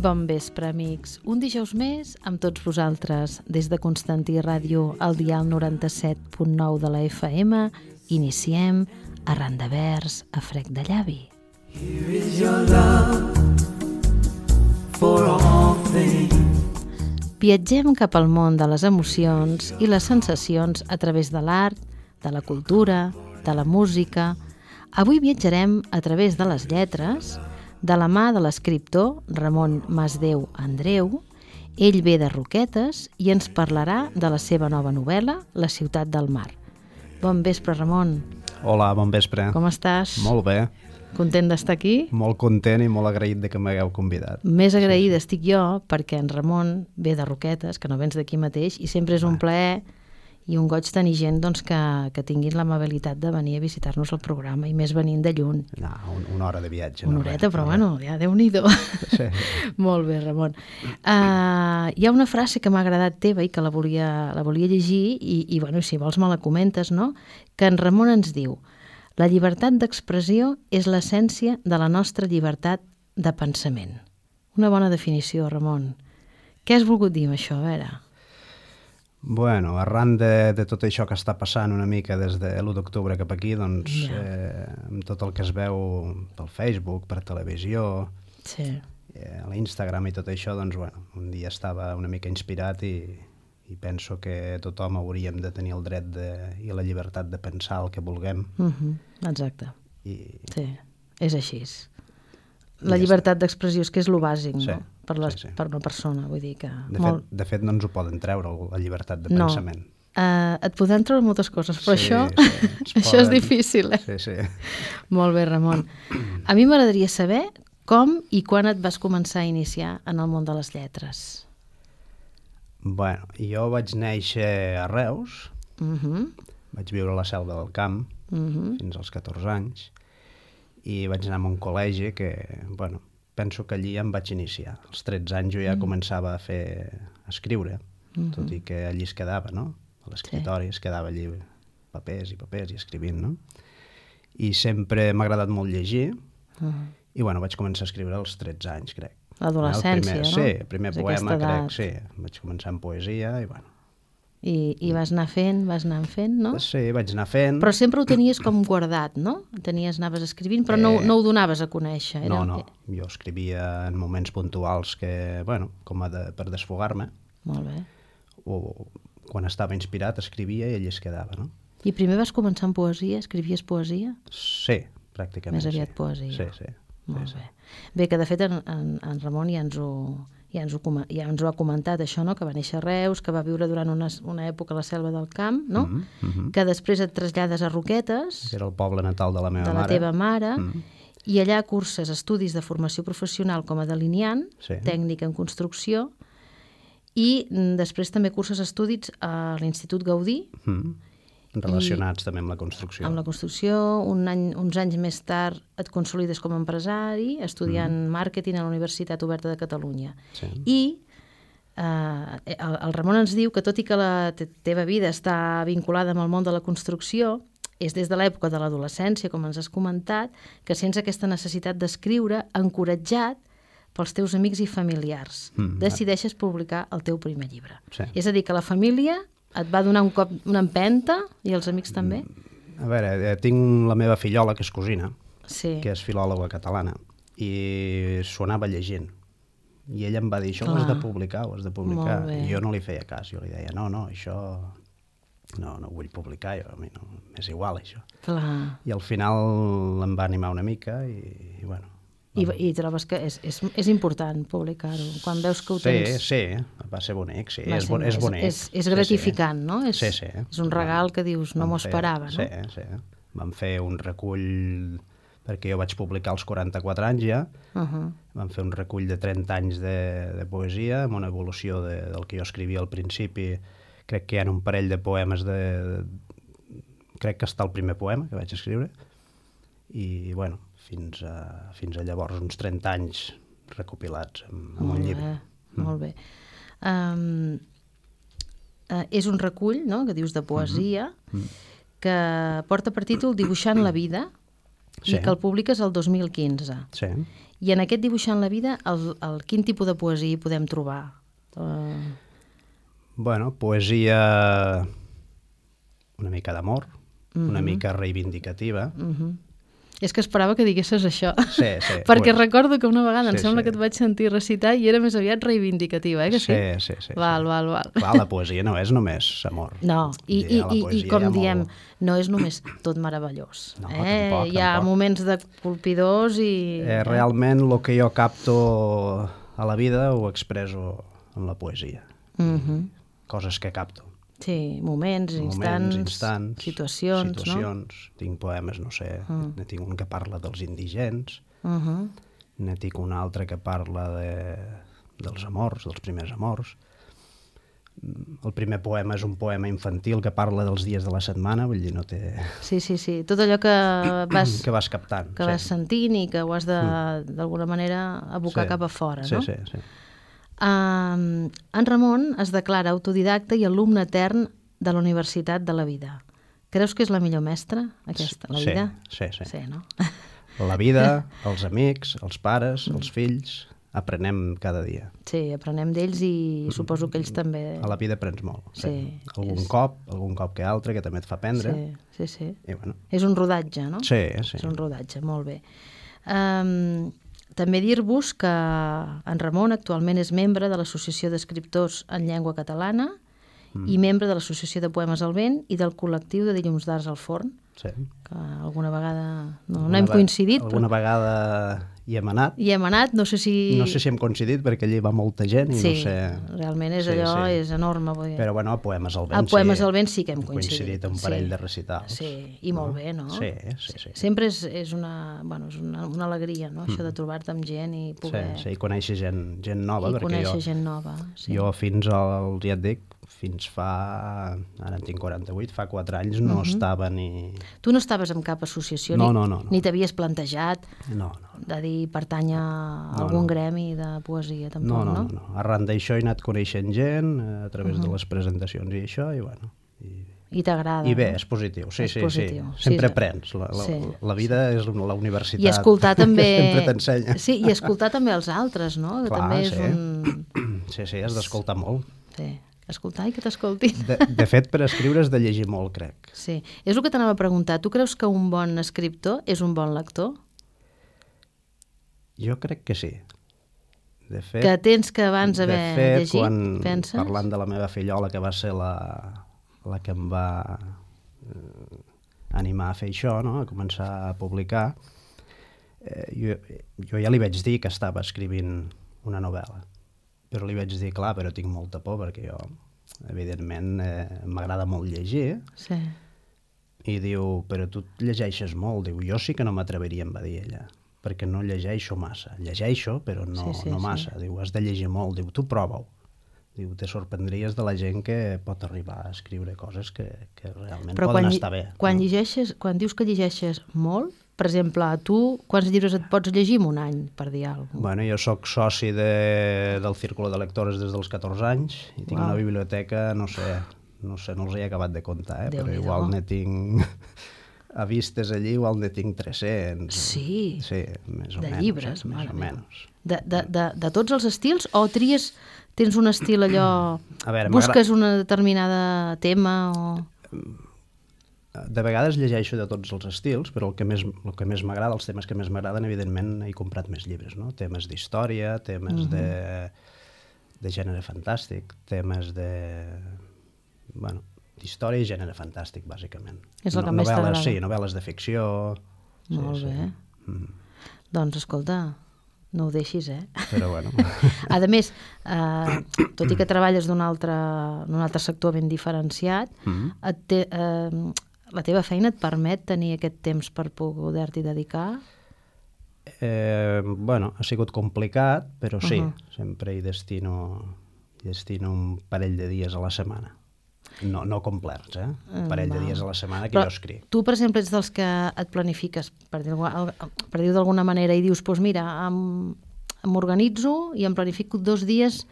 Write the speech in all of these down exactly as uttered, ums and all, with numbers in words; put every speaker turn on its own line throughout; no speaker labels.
Bon vespre, amics. Un dijous més amb tots vosaltres. Des de Constantí Ràdio, al dial noranta-set punt nou de la F M, iniciem Arran de vers a frec de llavi. Here is your love for all things. Viatgem cap al món de les emocions i les sensacions a través de l'art, de la cultura, de la música. Avui viatjarem a través de les lletres, de la mà de l'escriptor Ramon Masdeu Andreu. Ell ve de Roquetes i ens parlarà de la seva nova novel·la, La ciutat del mar. Bon vespre, Ramon.
Hola, bon vespre.
Com estàs?
Molt bé.
Content d'estar aquí?
Molt content i molt agraït de que m'hagueu convidat.
Més agraïda sí, sí. estic jo, perquè en Ramon ve de Roquetes, que no vens d'aquí mateix, i sempre és un plaer i un goig tenir gent doncs, que, que tinguin l'amabilitat de venir a visitar-nos al programa, i més venint de lluny.
No, un, una hora de viatge.
Una
no,
horeta,
res,
però
no,
bueno, ja Déu-n'hi-do.
Sí.
Molt bé, Ramon. Uh, hi ha una frase que m'ha agradat teva i que la volia, la volia llegir, i, i bueno, si vols me la comentes, no? Que en Ramon ens diu: la llibertat d'expressió és l'essència de la nostra llibertat de pensament. Una bona definició, Ramon. Què has volgut dir amb això, a veure?
Bueno, arran de, de tot això que està passant una mica des de l'u d'octubre cap aquí, doncs, yeah. eh, amb tot el que es veu pel Facebook, per televisió,
sí.
eh, a l'Instagram i tot això, doncs, bueno, un dia estava una mica inspirat i, i penso que tothom hauríem de tenir el dret de, i la llibertat de pensar el que vulguem.
Uh-huh. Exacte.
I...
Sí, és així. La llibertat d'expressió és que és lo bàsic,
sí,
no? Per, les,
sí, sí.
per una persona, vull dir que...
De,
molt...
fet, de fet, no ens ho poden treure, la llibertat de
no.
pensament.
Uh, et podran treure moltes coses, però
sí,
això,
sí,
això
poden...
és difícil, eh?
Sí, sí.
Molt bé, Ramon. A mi m'agradaria saber com i quan et vas començar a iniciar en el món de les lletres.
Bueno, jo vaig néixer a Reus,
uh-huh.
vaig viure a la Selva del Camp uh-huh. fins als catorze anys, i vaig anar a un col·legi que, bueno, penso que allí em vaig iniciar. Als tretze anys jo ja mm. començava a fer, a escriure, mm-hmm. tot i que allí es quedava, no? A l'escriptori sí. es quedava allí papers i papers i escrivint, no? I sempre m'ha agradat molt llegir, uh-huh. i bueno, vaig començar a escriure als tretze anys, crec.
L'adolescència, no?
Sí, el primer és poema, crec, sí. Vaig començar amb poesia i bueno.
I, i vas anar fent, vas anar fent, no?
Sí, vaig anar fent.
Però sempre ho tenies com guardat, no? Tenies, anaves escrivint, però eh... no, no ho donaves a conèixer. Era...
No, no, jo escrivia en moments puntuals que, bueno, com a de, per desfogar-me.
Molt bé.
O quan estava inspirat escrivia i allí es quedava, no?
I primer vas començar amb poesia? Escrivies poesia?
Sí, pràcticament.
Més aviat
sí.
poesia.
Sí, sí.
Molt
sí,
bé.
Sí.
Bé, que de fet en, en, en Ramon ja ens ho... Ja ens, ho, ja ens ho ha comentat, això, no? Que va néixer a Reus, que va viure durant una, una època a la Selva del Camp, no? Mm -hmm. Que després et trasllades a Roquetes.
Que era el poble natal de la meva
mare. De la
mare.
teva mare. Mm -hmm. I allà curses estudis de formació professional com a delineant, sí. tècnic en construcció, i després també curses estudis a l'Institut Gaudí. Mm -hmm.
Relacionats I, també amb la construcció.
Amb la construcció. Un any, uns anys més tard et consolides com a empresari, estudiant mm. màrqueting a la Universitat Oberta de Catalunya. Sí. I eh, el, el Ramon ens diu que tot i que la te teva vida està vinculada amb el món de la construcció, és des de l'època de l'adolescència, com ens has comentat, que sents aquesta necessitat d'escriure encoratjat pels teus amics i familiars. Mm. Decideixes publicar el teu primer llibre. Sí. És a dir, que la família... Et va donar un cop, una empenta, i els amics també?
A veure, tinc la meva fillola, que és cosina,
sí.
que és filòloga catalana, i s'ho anava llegint. I ella em va dir, això Clar. ho has de publicar, ho has de publicar. I jo no li feia cas, jo li deia, no, no, això... No, no ho vull publicar, jo, a mi no, m'és igual, això.
Clar.
I al final em va animar una mica i, i bueno...
I, I trobes que és, és, és important publicar-ho, quan veus que ho tens...
Sí, sí, va ser bonic, sí, és, bon, és bonic.
És, és gratificant,
sí, sí.
no? És,
sí, sí.
És un regal que dius, no m'ho esperava, no?
Sí, sí. Vam fer un recull, perquè jo vaig publicar als quaranta-quatre anys ja, uh-huh. vam fer un recull de trenta anys de, de poesia, amb una evolució de, del que jo escrivia al principi. Crec que hi ha un parell de poemes de... de crec que està el primer poema que vaig escriure, i, bueno, fins a, fins a llavors uns trenta anys recopilats en, en un llibre.
Mm. Molt bé. Um, uh, és un recull, no?, que dius de poesia, mm-hmm. que porta per títol Dibuixant la vida,
sí.
i que el publiques el dos mil quinze.
Sí.
I en aquest Dibuixant la vida, el, el, quin tipus de poesia hi podem trobar? Uh...
Bueno, poesia una mica d'amor,
uh-huh.
una mica reivindicativa.
Uh-huh. És que esperava que diguessis això.
Sí, sí.
Perquè
pues...
recordo que una vegada
sí,
em sembla
sí.
que et vaig sentir recitar i era més aviat reivindicativa, eh, que sí?
Sí, sí, sí.
Val,
sí.
val, val.
Clar, la poesia no és només amor.
No, i, i, i, i com diem,
molt...
no és només tot meravellós.
No,
eh?
tampoc,
Hi ha
tampoc.
moments de colpidors i...
Eh, realment el que jo capto a la vida ho expresso en la poesia.
Uh-huh.
Coses que capto.
Sí, moments, instants,
moments, instants
situacions,
situacions.
no?
Tinc poemes, no sé, uh. ne tinc un que parla dels indigents,
uh-huh.
ne tinc un altre que parla de, dels amors, dels primers amors. El primer poema és un poema infantil que parla dels dies de la setmana, vull dir, no té...
Sí, sí, sí, tot allò que vas,
que vas captant.
que
sí.
vas sentint i que ho has de, d'alguna manera, abocar
sí.
cap a fora,
sí,
no?
Sí, sí, sí.
Uh, en Ramon es declara autodidacta i alumne etern de la Universitat de la Vida. Creus que és la millor mestra, aquesta, la
sí,
vida?
Sí, sí.
Sí, no?
La vida, els amics, els pares, els fills, aprenem cada dia.
Sí, aprenem d'ells i suposo que ells també...
A la vida aprens molt.
Sí.
sí. Algun
és...
cop, algun cop que altre, que també et fa aprendre.
Sí, sí, sí.
I, bueno.
És un rodatge, no?
Sí, sí.
És un rodatge, molt bé. Um, també dir-vos que en Ramon actualment és membre de l'Associació d'Escriptors en Llengua Catalana mm. i membre de l'Associació de Poemes al Vent i del col·lectiu de Dilluns d'Arts al Forn,
sí.
que alguna vegada no,
alguna
no hem coincidit.
Alguna
però...
vegada hi hem anat.
Hi hem anat, no sé si...
No sé si hem coincidit perquè allí va molta gent i
sí,
no sé...
realment és
sí,
allò,
sí.
és enorme. Vull dir.
Però bueno, a Poemes al Vent
a Poemes
sí.
al Vent sí que hem
coincidit.
coincidit.
un parell
sí.
de recitals.
Sí, i molt
no?
bé, no?
Sí, sí, sí.
Sempre és, és, una, bueno, és una, una alegria, no? Mm. Això de trobar-te amb gent i poder...
Sí, sí, i conèixer gent, gent nova.
I
perquè
conèixer
jo,
gent nova, sí.
Jo fins al, ja et dic, fins fa... Ara en tinc quaranta-vuit, fa quatre anys no uh-huh. estava ni...
Tu no estaves en cap associació?
No,
ni,
no, no, no.
Ni t'havies plantejat
no, no.
de dir pertany a
no,
algun
no.
gremi de poesia, tampoc,
no? No,
no,
no, no. Arran d'això he anat coneixent gent a través uh-huh. de les presentacions i això, i bueno... I,
I t'agrada.
I bé,
no?
és positiu, sí,
és
sí,
positiu.
sí. Sempre
sí,
aprens. La, la,
sí,
la vida
sí.
és la universitat.
I escoltar també...
Sempre t'ensenya.
Sí, i escoltar també els altres, no? Que
Clar,
també és
sí.
un...
Sí, sí, has d'escoltar molt.
Sí, escoltar i que t'escoltin.
De, de fet, per escriure has de llegir molt, crec.
Sí, és el que t'anava a preguntar. Tu creus que un bon escriptor és un bon lector?
Jo crec que sí. De fet,
que tens que abans haver
de fet,
llegit,
quan,
penses?
parlant de la meva fillola, que va ser la, la que em va eh, animar a fer això, no? A començar a publicar, eh, jo, jo ja li vaig dir que estava escrivint una novel·la. Però li vaig dir, clar, però tinc molta por, perquè jo, evidentment, eh, m'agrada molt llegir.
Sí.
I diu, però tu llegeixes molt. Diu, jo sí que no m'atreviria, em va dir ella, perquè no llegeixo massa. Llegeixo, però no,
sí, sí,
no massa.
Sí.
Diu, has de llegir molt. Diu, tu prova-ho. Diu, te sorprendries de la gent que pot arribar a escriure coses que, que realment
però
poden
quan,
estar bé.
Quan,
no?
llegeixes, quan dius que llegeixes molt, per exemple, tu quants llibres et pots llegir en un any, per dir alguna cosa?
Bueno, jo sóc soci de, del Círculo de Lectores des dels catorze anys i tinc
Uau.
una biblioteca, no sé, no sé, no els he acabat de comptar, eh? Però
Déu-n'hi-do.
igual ne tinc... A vistes allí igual ne tinc tres-cents.
Sí,
sí més o
de
menys,
llibres,
eh? Més o
mare
menys.
De, de, de, de tots els estils o tries, tens un estil allò,
A veure,
busques una determinada tema o...
De vegades llegeixo de tots els estils, però el que més, el que més m'agrada, els temes que més m'agraden, evidentment he comprat més llibres, no? Temes d'història, temes uh-huh. de, de gènere fantàstic, temes de... Bueno, d'història i gènere fantàstic, bàsicament.
És el que
no,
més
novel·les,
t'agrada.
sí, novel·les de ficció...
Molt
sí,
bé.
Sí. Mm.
Doncs, escolta, no ho deixis, eh?
Però bueno...
A més, eh, tot i que treballes d'un altre, d'un altre sector ben diferenciat, mm-hmm. et te, eh, la teva feina et permet tenir aquest temps per poder-t'hi dedicar?
Eh, bueno, ha sigut complicat, però sí,
Uh-huh.
sempre hi destino, hi destino un parell de dies a la setmana. No, no complerts, eh? Un parell de dies a la setmana que
Però
jo escric.
Tu, per exemple, ets dels que et planifiques, per dir-ho per dir d'alguna manera, i dius, doncs mira, em, m'organitzo i em planifico dos dies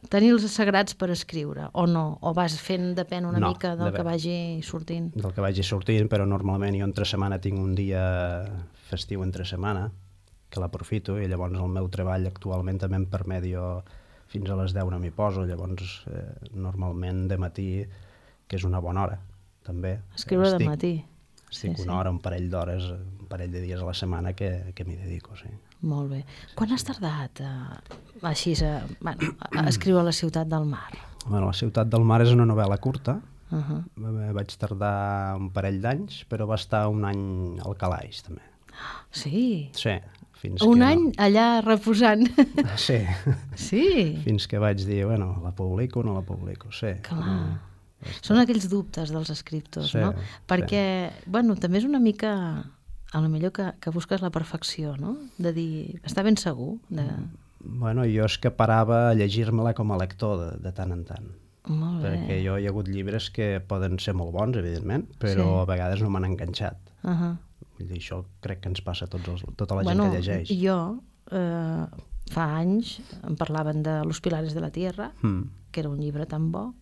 tenir els sagrats per escriure, o no? O vas fent, depèn una
no,
mica del
depèn.
que vagi sortint?
Del que vagi sortint, però normalment jo entre setmana tinc un dia festiu entre setmana, que l'aprofito, i llavors el meu treball actualment també em permet jo fins a les deu no m'hi poso, llavors eh, normalment de matí, que és una bona hora, també.
Escriure
estic,
de matí.
Estic
Sí,
una
sí.
hora, un parell d'hores, un parell de dies a la setmana que, que m'hi dedico, sí.
Molt bé. Quan has tardat a, així a, bueno, a escriure La ciutat del mar?
Bueno, La ciutat del mar és una novel·la curta.
Uh -huh.
Vaig tardar un parell d'anys, però va estar un any al calaix, també.
Sí?
Sí, fins
Un
que
any
no.
allà reposant.
Sí.
Sí?
Fins que vaig dir, bueno, la publico o no la publico, sí.
Clar.
Mm.
Són aquells dubtes dels escriptors,
Sí,
no?
sí.
Perquè, bueno, també és una mica, a lo millor que, que busques la perfecció, no? De dir, està ben segur de...
Bueno, jo és que parava a llegir-me-la com a lector de, de tant en tant.
Molt bé.
Perquè jo hi ha hagut llibres que poden ser molt bons, evidentment, però
Sí.
a vegades no m'han enganxat.
Uh -huh.
Vull dir, això crec que ens passa a tots els, tota la
Bueno,
gent que llegeix.
jo, eh, fa anys, em parlaven de Los pilares de la tierra,
Mm.
que era un llibre tan bo.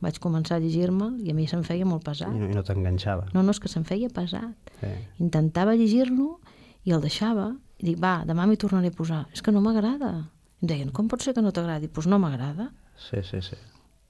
Vaig començar a llegir-me'l i a mi se'm feia molt pesat.
I no, i no t'enganxava.
No, no, és que se'm feia pesat.
Sí.
Intentava llegir-lo i el deixava. I dic, va, demà m'hi tornaré a posar. És que no m'agrada. Em deien, com pot ser que no t'agradi? Doncs pues no m'agrada.
Sí, sí, sí.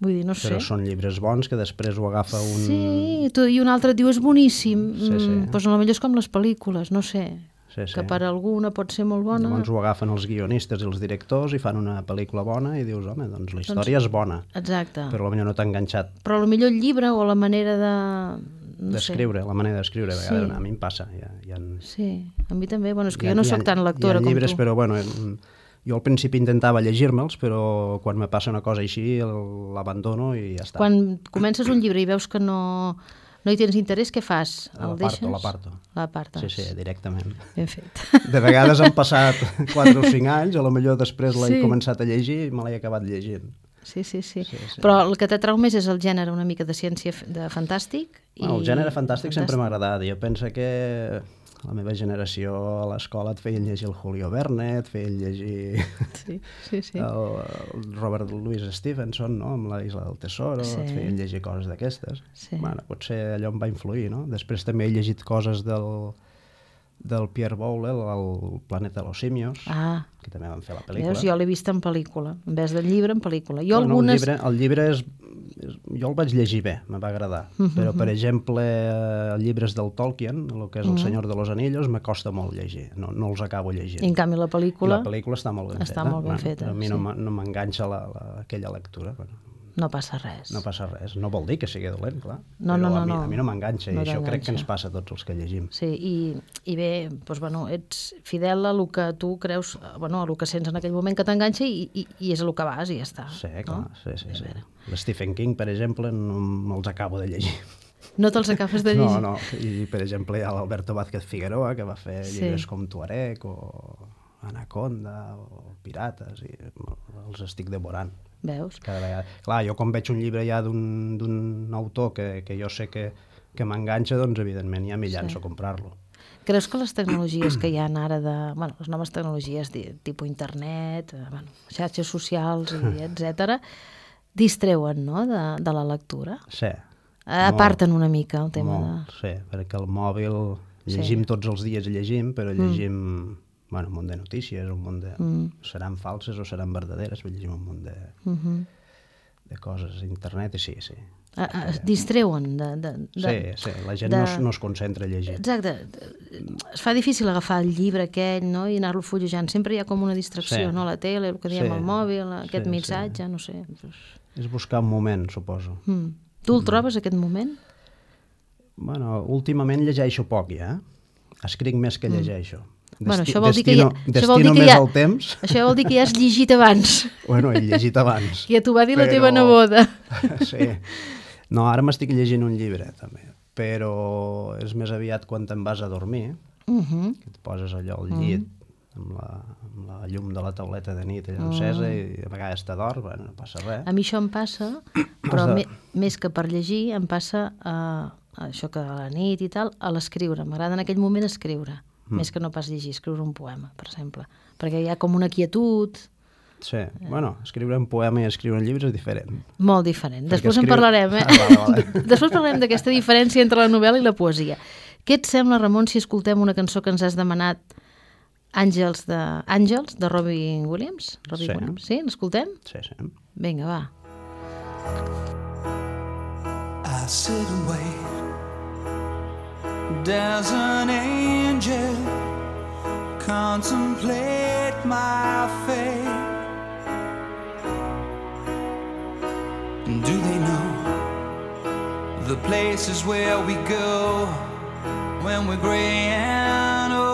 Vull dir, no sé.
Però són llibres bons que després ho agafa un...
Sí, tu, i un altre et diu, és boníssim.
Sí, sí.
Mm, doncs potser és com les pel·lícules, no sé.
Sí, sí.
Que per alguna pot ser molt bona.
Llavors ho agafen els guionistes i els directors i fan una pel·lícula bona i dius, home, doncs la història
Doncs-
és bona,
Exacte.
però potser no t'ha enganxat
Però potser el llibre o la manera de... No
d'escriure,
sé.
la manera d'escriure, a vegades
Sí.
a mi em passa. Hi ha, hi ha,
Sí, a mi també. Bueno, és que
hi ha,
jo no
hi ha-
sóc tan lectora
hi ha
com
llibres,
tu.
però bueno, em- jo al principi intentava llegir-me'ls, però quan me passa una cosa així el- l'abandono i ja està.
Quan comences un llibre i veus que no, no hi tens interès, què fas? El
L'aparto,
deixes?
l'aparto.
L'apartes.
Sí, sí, directament.
Ben fet.
De vegades han passat quatre o cinc anys, a lo millor després l'he
Sí.
començat a llegir i me l'he acabat llegint.
Sí, sí, sí,
Sí, sí.
Però el que t'atrau més és el gènere una mica de ciència f- de fantàstic. I...
Bueno, el gènere fantàstic, sempre m'ha agradat. Jo penso que la meva generació a l'escola et feien llegir el Julio Verne, et feien llegir
Sí, sí, sí.
el, el Robert Louis Stevenson, no?, amb la Isla del Tesoro,
Sí.
et feien llegir coses d'aquestes.
Sí.
Bueno, potser allò em va influir, no? Després també he llegit coses del, del Pierre Boulle, el Planeta de los Simios,
Ah,
que també van fer la pel·lícula.
veus, jo l'he vist en pel·lícula, en vez del llibre, en pel·lícula. Jo
Bueno,
algunes...
el, llibre, el llibre és, és... Jo el vaig llegir bé, me va agradar. Però, per exemple, eh, llibres del Tolkien, el que és El Senyor de los Anillos, me costa molt llegir. No, no els acabo llegint.
I en canvi la
I
pel·lícula
la pel·lícula està molt ben
està
feta.
molt ben
Bueno,
feta,
a mi
sí.
no m'en- no m'enganxa la, la, aquella lectura. Bueno,
no passa res.
no passa res. No vol dir que sigui dolent, clar.
No,
Però
no, no,
a mi,
no.
a mi no m'enganxa.
No
I això crec que
t'enganxa.
ens passa a tots els que llegim.
Sí, i, i bé, doncs, bueno, ets fidel a el que tu creus, bueno, a el que sents en aquell moment que t'enganxa i, i, i és a el que vas i ja està.
Sí, clar,
no?
sí, sí. sí. L'Stephen King, per exemple, no me'ls acabo de llegir.
No te'ls acabes de llegir?
No, no. I, per exemple, hi ha l'Alberto Vázquez Figueroa, que va fer
Sí.
llibres com Tuareg o Anaconda o Pirates, i els estic devorant.
Veus?
Cada vegada. Clar, jo quan veig un llibre ja d'un d'un autor que, que jo sé que, que m'enganxa, doncs evidentment ja m'hi llanço
Sí.
a comprar-lo.
Creus que les tecnologies que hi ha ara de... Bueno, les noves tecnologies, de, tipus internet, eh, bueno, xarxes socials, i etcètera, distreuen, no?, de, de la lectura?
Sí.
Aparten una mica el tema
molt,
de...
Sí, perquè el mòbil llegim
Sí.
tots els dies, llegim, però llegim bueno, un munt de notícies, un munt de...
Mm.
Seran falses o seran verdaderes, llegim un munt de,
Uh -huh.
de coses a internet i sí, sí.
Ah, ah, es distreuen de... de, de
Sí, sí, la gent
de-
no, es, no es concentra a llegir.
Exacte. Es fa difícil agafar el llibre aquell, no?, i anar-lo fullejant. Sempre hi ha com una distracció,
Sí.
no?, la tele, el que diem
Sí.
al mòbil, aquest
Sí,
missatge, no sé.
És buscar un moment, suposo.
Mm. Tu el trobes, aquest moment?
Bueno, últimament llegeixo poc, ja. Escric més que llegeixo.
Mm. Bueno,
Desti-
això vol dir que ja-
destino,
això vol dir
destino
que
més
ja-
el temps.
Això vol dir que ja has llegit abans.
Bueno, he llegit abans.
Que ja t'ho va dir la
però-
teva neboda.
Sí. No, ara m'estic llegint un llibre, també. Però és més aviat quan te'n vas a dormir,
Uh -huh.
que et poses allò al llit, amb, la, amb la llum de la tauleta de nit allà encesa, i a vegades t'adorms, bueno, no passa res.
A mi això em passa, però
Has de-
me, més que per llegir, em passa a, a això que a la nit i tal, a l'escriure. M'agrada en aquell moment escriure, mm. més que no pas llegir, escriure un poema, per exemple. Perquè hi ha com una quietud,
Sí, bueno, escriure un poema i escriure un llibre és diferent.
Molt diferent. Després
escriu...
en parlarem, eh? Ah, vale, vale. Després parlarem d'aquesta diferència entre la novel·la i la poesia. Què et sembla, Ramon, si escoltem una cançó que ens has demanat, Àngels de, Àngels, de Robbie Williams? Robbie
sí.
Williams. Sí, l'escoltem?
Sí, sí.
Vinga, va.
I sit and wait. There's an angel contemplate my fate. Do they know the places where we go when we're gray and old?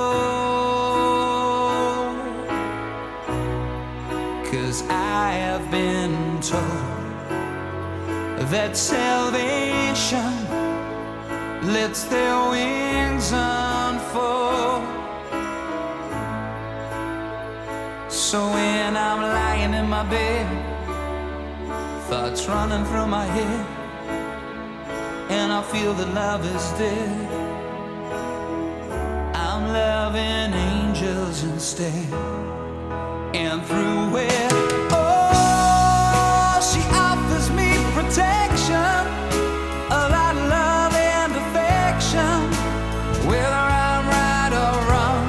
'Cause I have been told that salvation lets their wings unfold. So when I'm lying in my bed, thoughts running through my head, and I feel that love is dead, I'm loving angels instead. And through it, oh, she offers me protection, a lot of love and affection, whether I'm right or wrong,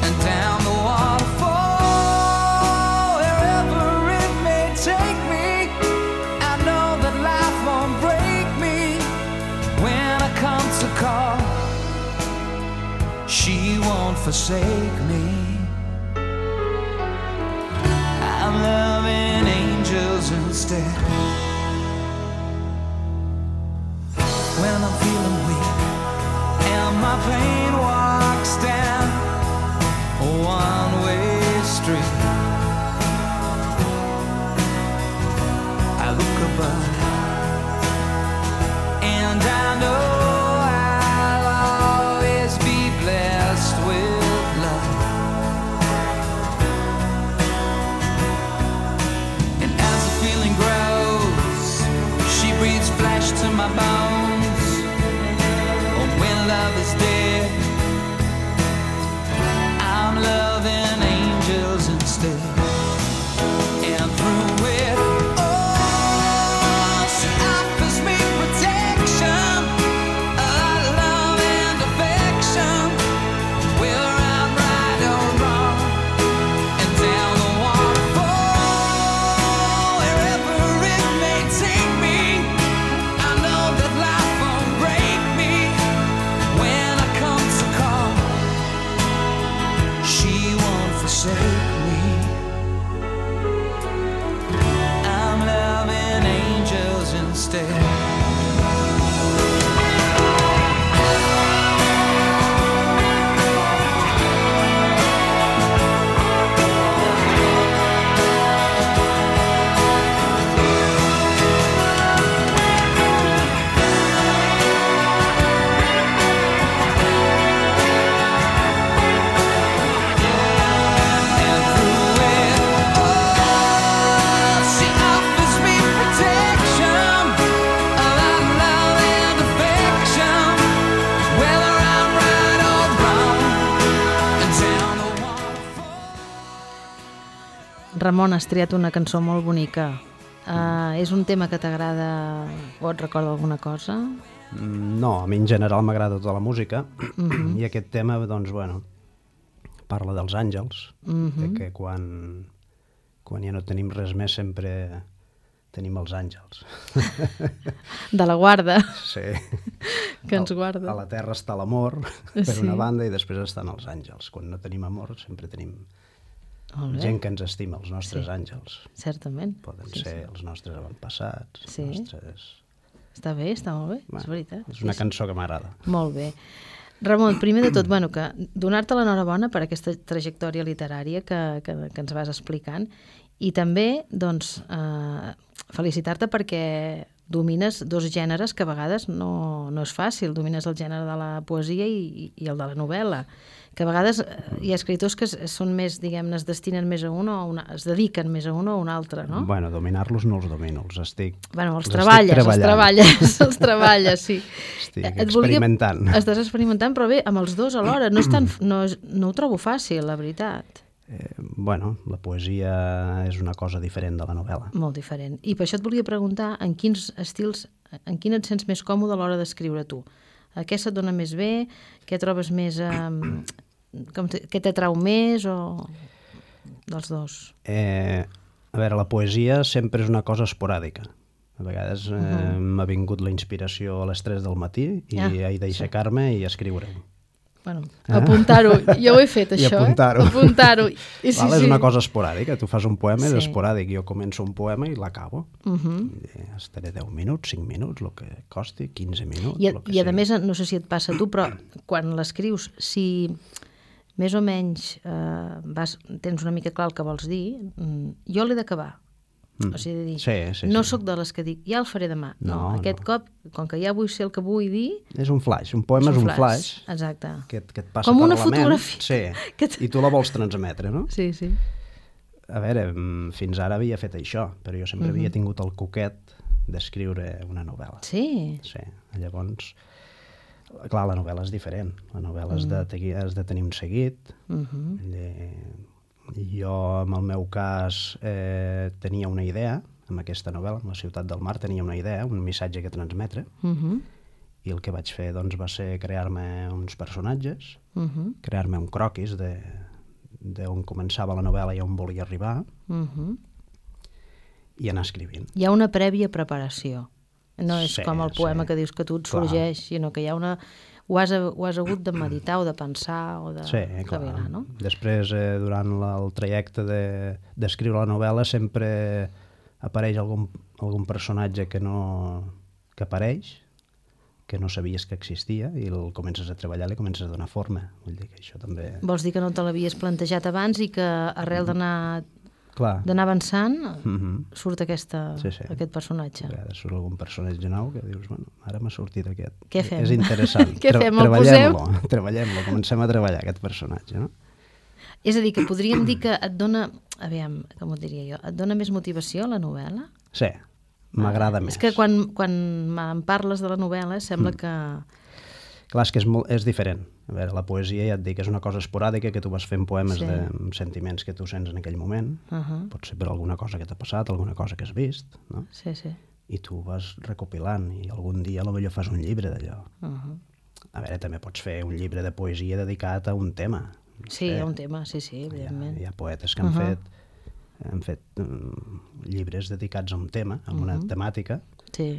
and down the waterfall, wherever it may take me, I know that life won't break me when I come to call. She won't forsake me. I'm loving angels instead. When I'm feeling weak and my pain walks down a one-way street, I look above and I know I'll always be blessed with love. And as the feeling grows, she breathes flesh to my bones. Oh, when love is dead, I'm loving angels instead. And through it, oh, she offers me protection, a lot of love and affection, whether I'm right or wrong, and down the waterfall, wherever it may take me, I know that life won't break me when I come to call. She won't forsake me. I'm loving angels instead. And through it, oh, she offers me protection, a lot of love and affection, whether I'm right or wrong, and down the waterfall.
Ramon, has triat una cançó molt bonica. Uh, és un tema que t'agrada o et recorda alguna cosa?
Mm, No, a mi en general m'agrada tota la música i aquest tema, doncs, bueno, parla dels àngels, de que quan, quan ja no tenim res més sempre tenim els àngels.
De la guarda,
Sí.
que ens
A
guarda.
la terra està l'amor, per
Sí.
una banda, i després estan els àngels. Quan no tenim amor sempre tenim
Molt bé,
gent que ens estima, els nostres
Sí.
àngels.
certament.
Poden
Sí,
ser
sí.
els nostres avantpassats,
Sí.
els nostres...
Està bé, està molt bé,
Bueno,
és veritat.
és una
Sí, sí.
cançó que m'agrada.
Molt bé. Ramon, primer de tot, bueno, que donar-te l'enhorabona per aquesta trajectòria literària que, que, que ens vas explicant i també, doncs, eh, felicitar-te perquè domines dos gèneres que a vegades no, no és fàcil. Domines el gènere de la poesia i, i el de la novel·la, que a vegades eh, hi ha escriptors que es- són més, diguem-ne, es destinen més a un o a una, es dediquen més a un o a un altre, no?
Bueno, dominar-los no els domino, els estic...
Bueno, els
els
treballes,
estic
els
treballant.
treballes, els treballes, sí.
Estic
Et volia-
experimentant.
Estàs experimentant, però bé, amb els dos alhora. No, és tan, no, és, no ho trobo fàcil, la veritat.
Eh, bueno, la poesia és una cosa diferent de la novel·la.
Molt diferent. I per això et volia preguntar en quins estils, en quin et sents més còmode a l'hora d'escriure tu. Eh, què se't dona més bé? Què trobes més... Eh, com te, què t'atrau més o dels dos?
Eh, a veure, la poesia sempre és una cosa esporàdica. A vegades eh, uh-huh. m'ha vingut la inspiració a les tres del matí i ah, he d'aixecar-me sí. i escriure-ho.
Bueno, eh? apuntar-ho. Jo ho he fet, això.
I apuntar-ho.
Eh? Apuntar-ho. I, sí,
Val, és
sí.
una cosa esporàdica. Tu fas un poema, sí. és esporàdic. Jo començo un poema i l'acabo. Uh-huh. Estaré deu minuts, cinc minuts, el que costi, quinze minuts.
I,
que
i a
sigui.
més, no sé si et passa a tu, però quan l'escrius, si més o menys eh, vas, tens una mica clar el que vols dir, jo l'he d'acabar. Mm. O sigui, de dir,
sí, sí,
no
sí.
sóc de les que dic, ja el faré demà. No,
no
aquest
no.
cop, com que ja vull ser el que vull dir...
És un flash, un poema és un, és un flash. flash
exacte.
Que, que et passa
com
per
una
la ment.
fotografia.
Sí,
que
i tu la vols transmetre, no?
Sí, sí.
A veure, fins ara havia fet això, però jo sempre uh-huh. havia tingut el coquet d'escriure una novel·la.
Sí?
Sí, llavors... Clar, la novel·la és diferent. La novel·la has, uh-huh. de, has de tenir un seguit. Uh-huh. De... Jo, en el meu cas, eh, tenia una idea amb aquesta novel·la, amb La ciutat del mar, tenia una idea, un missatge que transmetre, uh-huh. i el que vaig fer doncs, va ser crear-me uns personatges, uh-huh. crear-me un croquis de d'on començava la novel·la i on volia arribar, uh-huh. i anar escrivint.
Hi ha una prèvia preparació. No és
sí,
com el poema
sí.
que dius que tu et sorgeix, sinó que hi ha una... Ho has, ho has hagut de meditar o de pensar o de...
Sí, clar.
Cavilar, no?
Després, eh, durant la, el trajecte de, d'escriure la novel·la, sempre apareix algun, algun personatge que no... que apareix, que no sabies que existia, i el comences a treballar i li comences a donar forma. Vull dir que això també...
Vols dir que no te l'havies plantejat abans i que arrel d'anar...
Clar.
d'anar avançant,
mm-hmm.
surt aquesta,
sí, sí.
aquest personatge.
A vegades surt algun personatge nou que dius, bueno, ara m'ha sortit aquest.
Què fem?
És interessant.
Què fem? El
Treballem-lo, treballem-lo, comencem a treballar aquest personatge, no?
És a dir, que podríem dir que et dona, aviam, com ho diria jo, et dona més motivació la novel·la?
Sí, m'agrada
ah,
més.
És que quan, quan em parles de la novel·la sembla mm. que...
Clar, és que és, molt, és diferent. A veure, la poesia, ja et dic, és una cosa esporàdica que tu vas fent poemes sí. de amb sentiments que tu sents en aquell moment. Uh-huh. Pot ser per alguna cosa que t'ha passat, alguna cosa que has vist, no?
Sí, sí.
I tu vas recopilant i algun dia potser fas un llibre d'allò. Uh-huh. A veure, també pots fer un llibre de poesia dedicat a un tema. No
sí,
sé.
a un tema, sí, sí, evidentment.
Hi ha, hi ha poetes que han uh-huh. fet, han fet um, llibres dedicats a un tema, a una uh-huh. temàtica,
sí.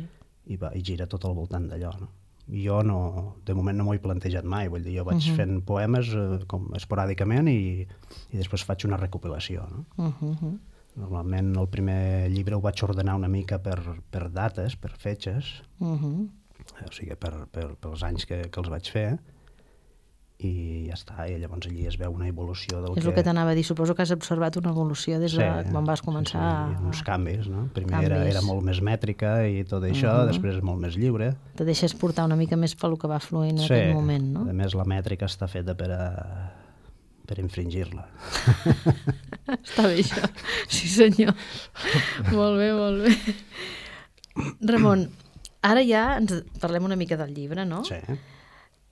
i, va, i gira tot al voltant d'allò, no? Jo no, de moment no m'ho he plantejat mai, vull dir, jo vaig uh-huh. fent poemes eh, com esporàdicament i, i després faig una recopilació, no? Uh-huh. Normalment el primer llibre ho vaig ordenar una mica per, per dates, per fetges, uh-huh. o sigui, per, per, pels anys que, que els vaig fer, i ja està, i llavors allí es veu una evolució del
és
que...
el que t'anava a dir, suposo que has observat una evolució des de sí, quan vas començar
sí, sí, uns canvis, no? Primer
canvis.
Era, era molt més mètrica i tot això, uh-huh. després és molt més lliure.
Te deixes portar una mica més pel que va fluint en
sí,
aquest moment, no?
A més la mètrica està feta per a... per infringir-la.
Està bé això, sí senyor. Molt bé, molt bé. Ramon, ara ja ens parlem una mica del llibre, no?
Sí.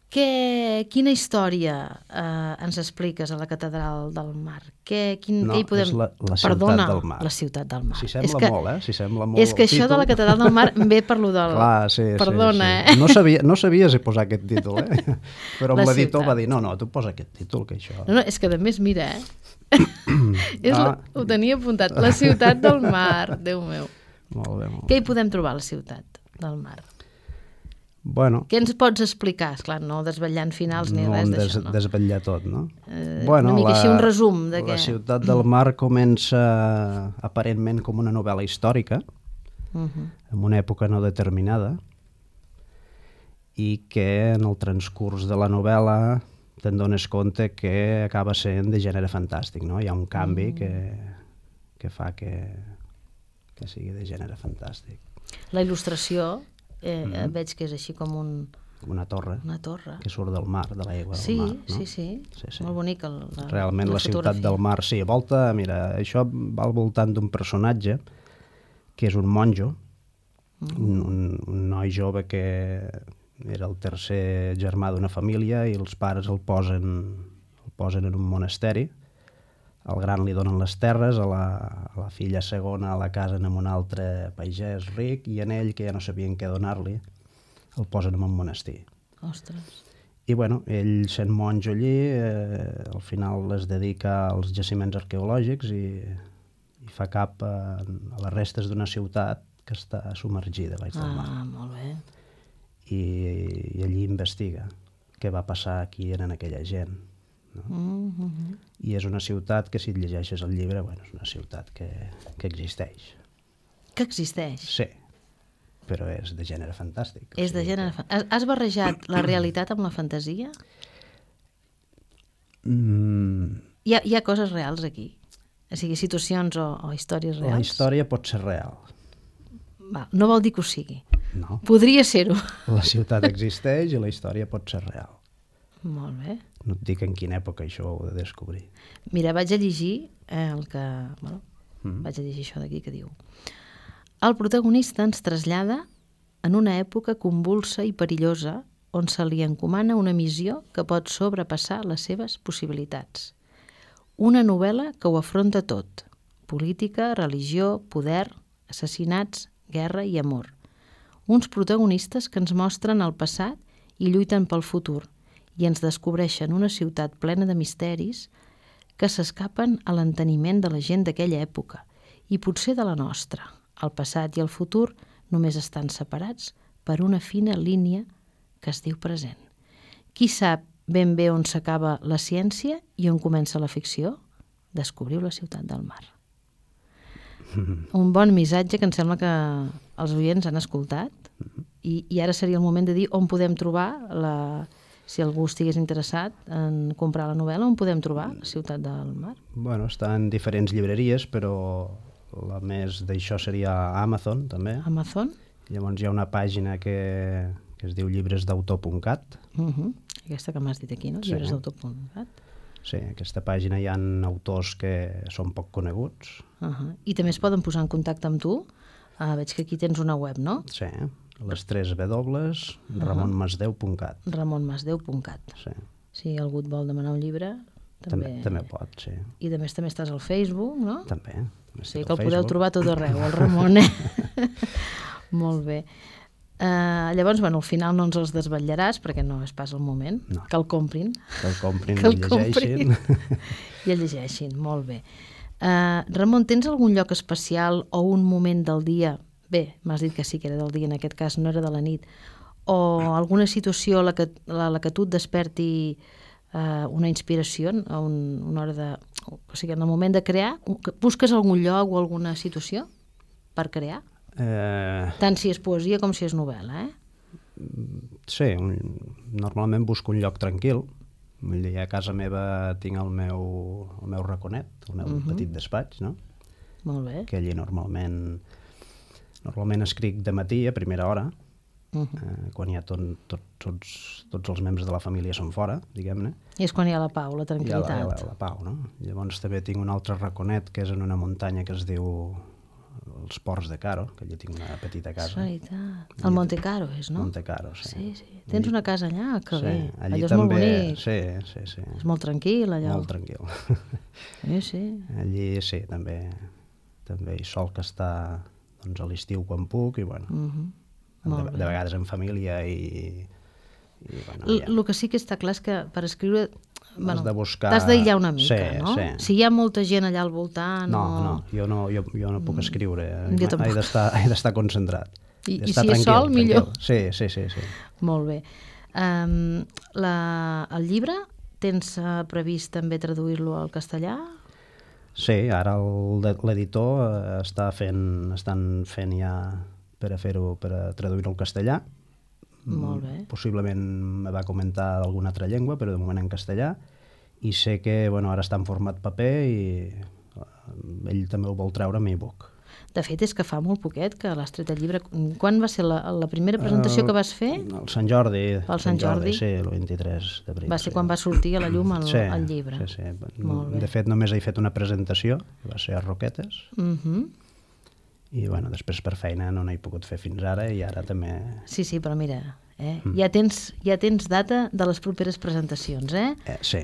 Que, quina història eh, ens expliques a la Catedral del Mar? Que, quin,
no,
que hi podem...
és la, la ciutat
Perdona,
del mar.
La ciutat del mar.
Si sembla
que,
molt, eh? Si sembla molt
és que això
títol.
de la Catedral del Mar ve per lo del...
Clar, sí,
Perdona,
sí, sí.
eh?
No, sabia, no sabia si posar aquest títol, eh? Però
La
l'editor
ciutat.
va dir, no, no, tu posa aquest títol, que això...
No, no, és que a més, mira, eh? és
ah.
la, ho tenia apuntat. La ciutat del mar, Déu meu.
Molt bé, molt bé.
Què hi podem trobar a la ciutat del mar?
Bueno,
què ens pots explicar? Esclar, no desvetllant finals ni
no
res
des,
d'això, no?
desvetllar tot, no?
Eh,
bueno,
una mica
la,
així un resum de què...
La ciutat del mar comença aparentment com una novel·la històrica, uh-huh. en una època no determinada, i que en el transcurs de la novel·la te'n dones compte que acaba sent de gènere fantàstic, no? Hi ha un canvi uh-huh. que, que fa que, que sigui de gènere fantàstic.
La il·lustració... Eh,
mm.
veig que és així com un...
una torre,
una torre
que surt del mar, de l'aigua
sí,
del mar. No?
Sí, sí, sí, sí. Molt bonica la,
realment
la,
la ciutat del mar, sí, volta, mira, això va al voltant d'un personatge que és un monjo, mm. un, un, un noi jove que era el tercer germà d'una família i els pares el posen, el posen en un monasteri al gran li donen les terres, a la, a la filla segona la casen amb un altre pagès ric i en ell, que ja no sabien què donar-li, el posen en un monestir.
Ostres.
I bueno, ell sent monjo allí, eh, al final es dedica als jaciments arqueològics i, i fa cap a, a les restes d'una ciutat que està submergida a l'aigua del mar.
Ah, molt bé.
I, I allí investiga què va passar aquí en aquella gent. No?
Mm -hmm.
I és una ciutat que, si et llegeixes el llibre, bueno, és una ciutat que, que existeix.
Que existeix?
Sí, però és de gènere fantàstic.
És de gènere fantàstic. Has barrejat la realitat amb la fantasia?
Mm.
Hi ha, hi ha coses reals aquí? O sigui, situacions o, o històries reals?
La història pot ser real.
Va, no vol dir que ho sigui.
No.
Podria ser-ho.
La ciutat existeix i la història pot ser real.
Molt bé.
No et dic en quina època això ho he de descobrir.
Mira, vaig a llegir eh, el que... Bueno, mm. vaig a llegir això d'aquí que diu: el protagonista ens trasllada en una època convulsa i perillosa on se li encomana una missió que pot sobrepassar les seves possibilitats. Una novel·la que ho afronta tot: política, religió, poder, assassinats, guerra i amor. Uns protagonistes que ens mostren el passat i lluiten pel futur i ens descobreixen una ciutat plena de misteris que s'escapen a l'enteniment de la gent d'aquella època i potser de la nostra. El passat i el futur només estan separats per una fina línia que es diu present. Qui sap ben bé on s'acaba la ciència i on comença la ficció? Descobriu la ciutat del mar. Un bon missatge que em sembla que els oients han escoltat i, i ara seria el moment de dir on podem trobar, la, si algú estigués interessat en comprar la novel·la, on podem trobar la ciutat del mar?
Bueno, està en diferents llibreries, però la més d'això seria Amazon, també.
Amazon?
Llavors hi ha una pàgina que, que es diu llibres d'autor punt cat.
Uh-huh. Aquesta que m'has dit aquí, no?
Sí.
llibres d'autor punt cat.
Sí, en aquesta pàgina hi ha autors que són poc coneguts.
Uh-huh. I també es poden posar en contacte amb tu. Uh, veig que aquí tens una web, no?
Sí, les tres W, ramon masdeu punt cat.
ramon masdeu punt cat.
Sí.
Si algú et vol demanar un llibre, també...
També, també pot, sí.
I a més també estàs al Facebook, no?
També.
Sí, que el podeu trobar tot arreu, el Ramon, eh? Molt bé. Uh, llavors, bueno, al final no ens els desvetllaràs, perquè no és pas el moment,
no.
Que el comprin.
Que el comprin
que el
i llegeixin.
I el llegeixin, molt bé. Uh, Ramon, tens algun lloc especial o un moment del dia, bé, m'has dit que sí que era del dia, en aquest cas no era de la nit, o alguna situació a la que, a la que tu et desperti uh, una inspiració a un, una hora de... O sigui, en el moment de crear, busques algun lloc o alguna situació per crear?
Eh...
Tant si és poesia com si és novel·la, eh?
Sí, un, normalment busco un lloc tranquil. Vull dir, a casa meva tinc el meu, el meu raconet, el meu uh-huh. petit despatx, no?
Molt bé.
Que allí normalment normalment escric de matí a primera hora, uh-huh. eh, quan ja tot, tot, tots, tots els membres de la família són fora, diguem-ne.
I és quan hi ha la pau, la tranquil·litat.
Hi ha la, la, la pau, no? Llavors també tinc un altre raconet que és en una muntanya que es diu els Ports de Caro, que allà tinc una petita casa.
És veritat. El Monte Caro és, no?
Monte Caro, sí.
Sí, sí. Tens una casa allà? Que
sí,
bé.
Allí
allò és
també,
molt bonic.
Sí, sí, sí.
És molt tranquil, allò.
Molt tranquil.
Sí, sí.
Allí sí, també, també hi sol que està doncs, a l'estiu quan puc i bueno,
uh-huh.
de, de vegades en família i... i bueno,
L-
ja.
El que sí que està clar és que per escriure bueno,
has de buscar...
t'has d'aïllar una mica,
sí,
no?
Sí.
Si hi ha molta gent allà al voltant...
No,
o...
no, jo no, jo, jo no puc escriure.
Jo tampoc.
He d'estar, he d'estar concentrat.
I, i
d'estar
si és sol,
tranquil.
millor.
Sí, sí, sí, sí.
Molt bé. Um, la, el llibre, tens uh, previst també traduir-lo al castellà?
Sí, ara el, l'editor eh, està fent, estan fent ja per a fer-ho, per a traduir-ho al castellà.
Molt bé.
Possiblement me va comentar d'alguna altra llengua, però de moment en castellà. I sé que bueno, ara està en format paper i ell també ho vol treure en e-book.
De fet, és que fa molt poquet que l'has tret el llibre. Quan va ser la, la primera presentació que vas fer?
El Sant Jordi.
Pel Sant Jordi.
Sí, el vint-i-tres d'abril.
Va ser
sí.
quan va sortir a la llum el,
sí,
el llibre.
Sí, sí.
Molt bé.
De fet, només he fet una presentació, que va ser a Roquetes,
Uh-huh.
i bueno, després per feina no n'he pogut fer fins ara, i ara també...
Sí, sí, però mira, eh? mm. ja, tens, ja tens data de les properes presentacions, eh?
eh sí.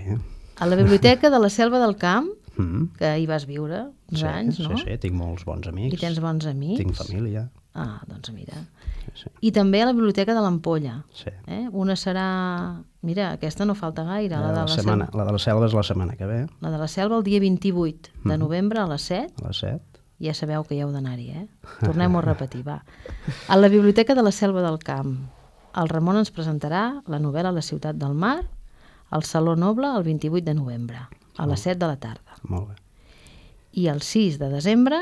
A la Biblioteca de la Selva del Camp,
Mm.
que hi vas viure uns
Sí,
anys, no?
sí, sí, tinc molts bons amics.
I tens bons amics.
Tinc família.
Ah, doncs mira.
Sí, sí.
I també a la Biblioteca de l'Ampolla.
Sí.
Eh? Una serà... Mira, aquesta no falta gaire, la,
La,
de
la,
la,
setmana,
selva.
la de la selva és la setmana que ve,
La de la Selva el dia vint-i-vuit de novembre a les set.
a les set.
Ja sabeu que hi heu d'anar-hi, eh? Tornem-ho a repetir, va. A la Biblioteca de la Selva del Camp, el Ramon ens presentarà la novel·la La ciutat del mar, al Saló Noble el vint-i-vuit de novembre, a les set de la tarda.
Molt bé.
I el sis de desembre,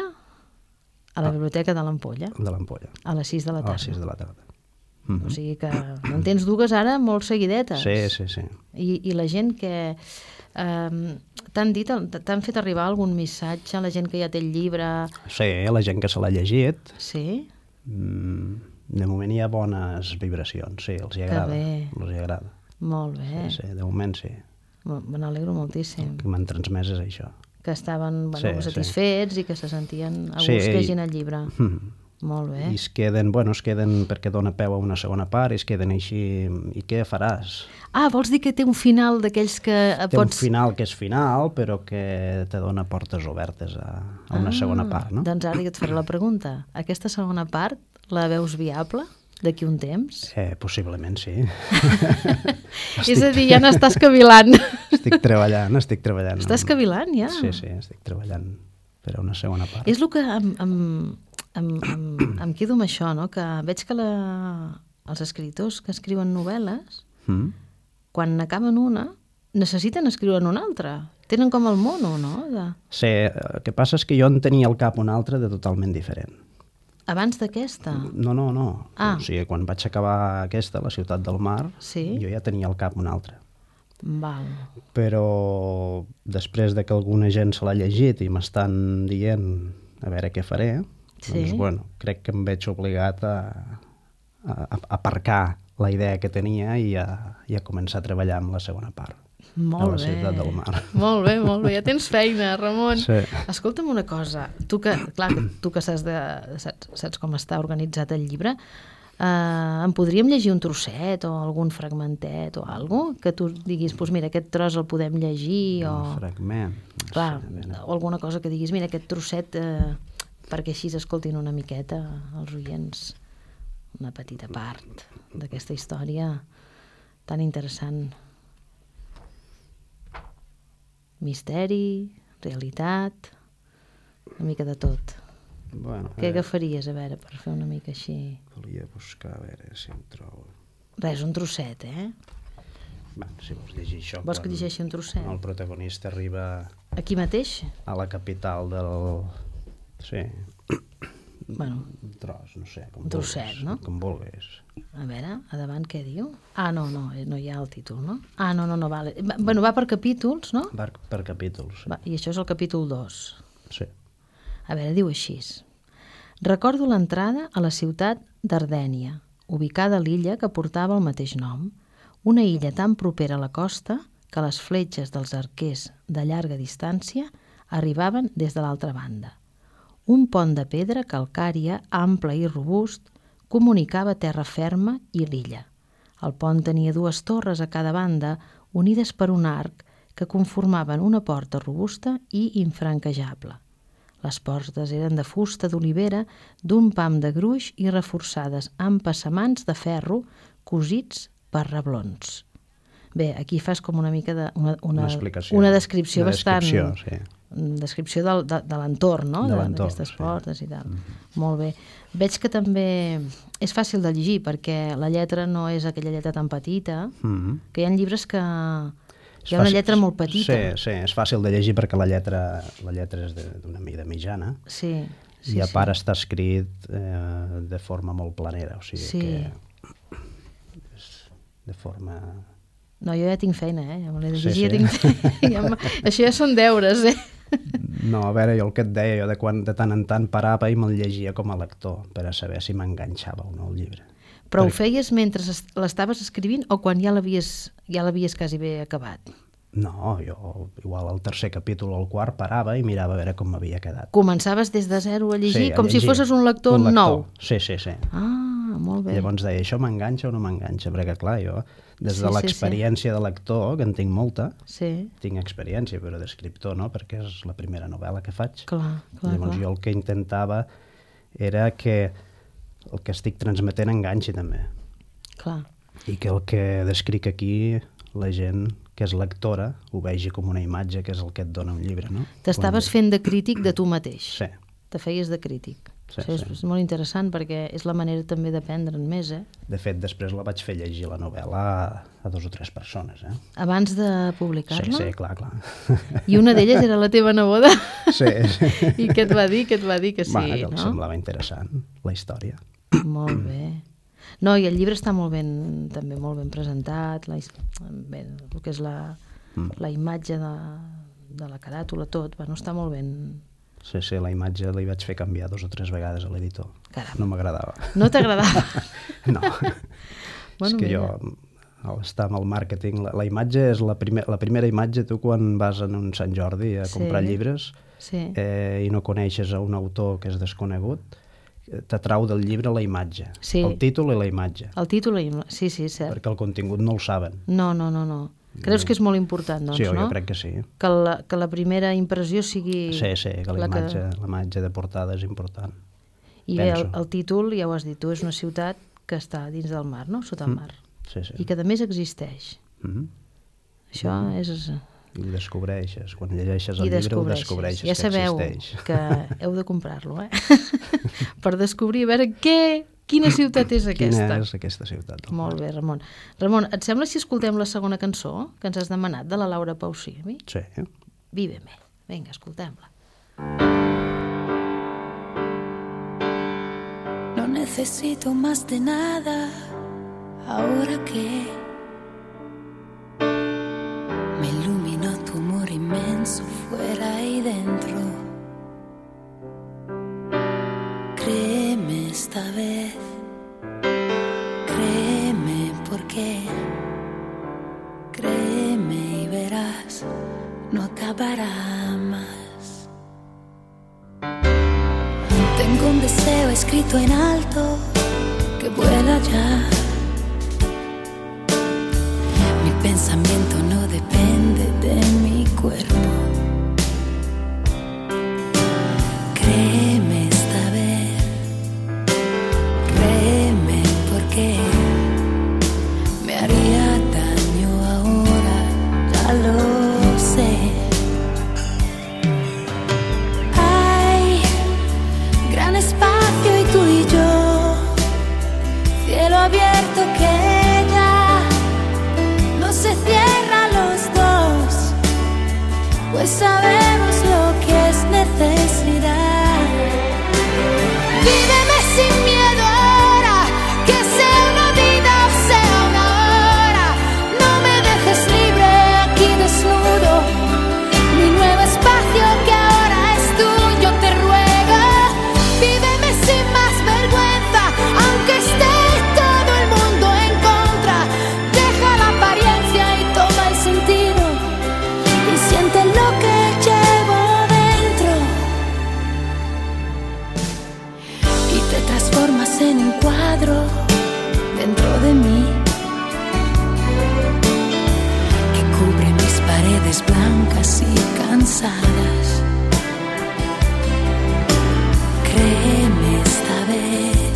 a la Biblioteca de l'Ampolla,
De l'Ampolla.
a les sis de la
A les
tarda.
sis de la tarda.
O sigui que en tens dues ara molt seguidetes.
Sí, sí, sí.
I, i la gent que... Eh, t'han dit, t'han fet arribar algun missatge a la gent que ja té el llibre?
Sí, la gent que se l'ha llegit,
Sí?
mm, de moment hi ha bones vibracions, sí, els hi
Que
agrada.
bé.
Els hi agrada.
Molt bé.
Sí, sí, de moment sí.
Me me n'alegro moltíssim.
Que m'han transmès és això.
Que estaven bueno,
Sí, sí.
satisfets i que se sentien a gust
Sí,
sí,
i-
llegint el llibre.
Mm.
Molt bé.
I es queden, bueno, es queden perquè dona peu a una segona part i es queden així, i què faràs?
Ah, vols dir que té un final d'aquells que
Té un
pots...
final que és final, però que te dona portes obertes a, a una
Ah,
segona part, no?
Doncs ara jo et faré la pregunta. Aquesta segona part la veus viable d'aquí un temps?
Eh, possiblement sí.
És a dir, ja n'estàs cavilant.
Estic treballant, estic treballant.
Estàs cavilant, ja?
Sí, sí, estic treballant per a una segona part.
És el que em, em, em, em, em quedo amb això, no? Que veig que la, els escriptors que escriuen novel·les,
Mm?
quan acaben una, necessiten escriure una altra. Tenen com el mono, no? De...
Sí, el que passa és que jo en tenia al cap una altra de totalment diferent.
Abans d'aquesta?
No, no, no.
Ah.
O sigui, quan vaig acabar aquesta, La ciutat del mar,
Sí?
jo ja tenia al cap una altra.
Val.
Però després de que alguna gent se l'ha llegit i m'estan dient a veure què faré,
Sí.
doncs, bueno, crec que em veig obligat a, a, a aparcar la idea que tenia i a, i a començar a treballar amb la segona part.
Molt
de la
bé.
ciutat del mar.
Molt bé, molt bé. Ja tens feina, Ramon.
Sí.
Escolta'm una cosa. Tu que, clar, que tu que saps, de, saps, saps com està organitzat el llibre, eh, em podríem llegir un trosset o algun fragmentet o alguna cosa? Que tu diguis, doncs mira, aquest tros el podem llegir o...
Un fragment. No
Clar,
sé, a veure.
o alguna cosa que diguis, mira, aquest trosset, eh, perquè així escoltin una miqueta els oients una petita part d'aquesta història tan interessant. Misteri, realitat, una mica de tot.
Bueno, a
Què
veure,
agafaries, a veure, per fer una mica així?
volia buscar, a veure si em trobo...
Res, un trosset, eh?
Bueno, si vols llegir això...
Vols que
quan-
llegeixi un trosset?
quan el protagonista arriba
Aquí mateix?
a la capital del... Sí,
Bueno,
un tros, no sé, com
Un trosset,
vulguis,
no?
com vulguis.
a veure, a davant què diu? Ah, no, no, eh, no hi ha el títol, no? Ah, no, no, no, vale. Va, bueno, va per capítols, no?
Per, per capítols, sí.
Va, I això és el capítol dos.
Sí.
A veure, diu així. Recordo l'entrada a la ciutat d'Ardènia, ubicada a l'illa que portava el mateix nom, una illa tan propera a la costa que les fletxes dels arquers de llarga distància arribaven des de l'altra banda. Un pont de pedra calcària, ample i robust, comunicava terra ferma i l'illa. El pont tenia dues torres a cada banda, unides per un arc que conformaven una porta robusta i infranquejable. Les portes eren de fusta d'olivera, d'un pam de gruix i reforçades amb passamans de ferro cosits per reblons. Bé, aquí fas com una mica de... Una, una,
Una explicació.
una descripció
Una
bastant...
descripció, sí.
descripció del, de, de l'entorn, no?
De
De-
l'entorn,
d'aquestes
sí.
portes i tal. Molt bé. Veig que també és fàcil de llegir perquè la lletra no és aquella lletra tan petita,
Mm-hmm.
que hi ha llibres que
És
hi ha una
fàcil-
lletra molt petita.
Sí, sí, és fàcil de llegir perquè la lletra, la lletra és de- d'una mida mitjana
Sí, sí,
i a
sí.
part està escrit eh, de forma molt planera, o sigui
Sí.
que és de forma...
No, jo ja tinc feina, eh? Ja me l'he de
Sí,
llegir,
sí.
ja tinc... ja m- Això ja són deures, eh?
No, a veure, jo el que et deia, jo de, quan, de tant en tant parava i me'l llegia com a lector per a saber si m'enganxava o no el llibre.
Però ho
Perquè-
feies mentre es- l'estaves escrivint o quan ja l'havies ja l'havies quasi bé acabat?
No, jo igual al tercer capítol o al quart parava i mirava a veure com m'havia quedat.
Començaves des de zero a llegir,
Sí, a
com si
llegir.
fosses un lector,
Un lector.
nou.
Sí, sí, sí.
Ah, molt bé.
Llavors deia, això m'enganxa o no m'enganxa? Perquè, clar, jo, des
Sí,
de
sí,
l'experiència de lector, que en tinc molta,
Sí,
tinc experiència, però d'escriptor no, perquè és la primera novel·la que faig.
clar, clar,
Llavors
clar.
jo el que intentava era que el que estic transmetent enganxi també.
clar.
I que el que descric aquí, la gent que és lectora ho vegi com una imatge, que és el que et dona un llibre, no?
T'estaves fent de crític de tu mateix.
Sí,
Te feies de crític.
Sí,
Això és,
sí.
és molt interessant perquè és la manera també d'aprendre'n més, eh?
de fet, després la vaig fer llegir la novel·la a, a dos o tres persones, eh?
Abans de
Sí,
publicar-la.
sí, clar, clar.
I una d'elles era la teva neboda.
Sí, sí.
I què et va dir? Què et va dir que sí,
Va, que em
no?
semblava interessant, la història.
Molt bé. No, i el llibre està molt ben, també molt ben presentat, la, his- bé, el que és la,
Mm.
la imatge de, de la caràtula, tot, bueno, està molt ben...
Sí, sí, la imatge li vaig fer canviar dos o tres vegades a l'editor.
Caram.
No m'agradava.
No t'agradava?
No.
Bueno,
és que
mira.
jo, al estar amb el màrqueting, la, la imatge és la, primer, la primera imatge, tu quan vas en un Sant Jordi a
Sí.
comprar llibres
Sí,
eh, i no coneixes a un autor que és desconegut, eh, t'atrau del llibre la imatge,
Sí.
el títol i la imatge,
el títol, i- sí, sí, cert.
perquè el contingut no el saben.
No, no, no, no. Creus que és molt important, doncs,
sí, jo
no?
crec que sí.
Que la, que la primera impressió sigui...
Sí, sí, que la
la que-
imatge, la imatge de portada és important.
I bé, el,
penso.
el títol, ja ho has dit tu, és una ciutat que està dins del mar, no? Sota el mar.
Sí, sí.
I que a més existeix.
Mhm.
Això és...
I ho descobreixes. Quan llegeixes
I
el llibre ho
descobreixes.
descobreixes
Ja
que
sabeu
existeix.
que heu de comprar-lo, eh? Per descobrir, a veure, què, quina ciutat és aquesta.
Quina és aquesta ciutat? del
Molt
mar?
bé, Ramon. Ramon, et sembla si escoltem la segona cançó que ens has demanat, de la Laura Pausini?
Sí.
Víveme. Vinga, escoltem-la.
No necesito más de nada ahora que me iluminó tu amor inmenso fuera y dentro. Créeme esta vez, créeme porque créeme y verás, no acabará más. Tengo un deseo escrito en alto que vuela ya. Mi pensamiento no depende de mi cuerpo. Créeme esta vez, créeme porque me haría daño ahora, ya lo sé. Hay gran espacio y tú y yo, cielo abierto que ya no se cierra a los dos, pues sabemos lo que es necesidad. Víveme sin miedo ahora, que sea una vida o sea una hora. No me dejes libre aquí desnudo, mi nuevo espacio que ahora es tuyo, te ruego. Víveme sin más vergüenza, aunque esté todo el mundo en contra. Deja la apariencia y toma el sentido, y siente lo que llevo dentro. Y te transformas en un cuadro dentro de mí, que cubre mis paredes blancas y cansadas. Créeme esta vez,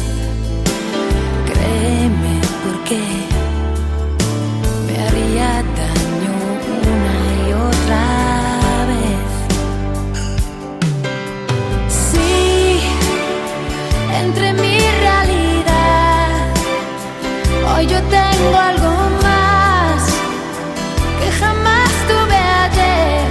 créeme porque me haría daño una y otra vez. Sí, entre mi realidad, hoy yo tengo algo más que jamás tuve ayer.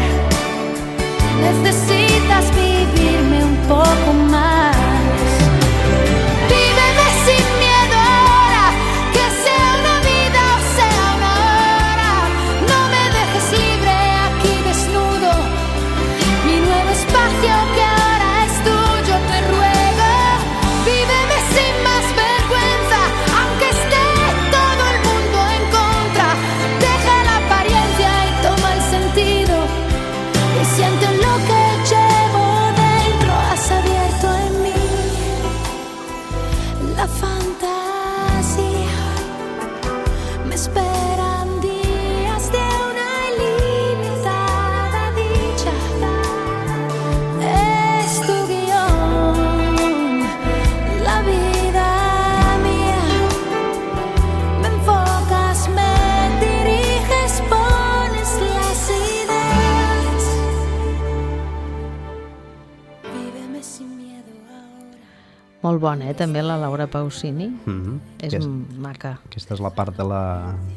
Molt bona, eh? També la Laura Pausini.
Mm-hmm.
És
Aquest,
maca.
aquesta és la part de la,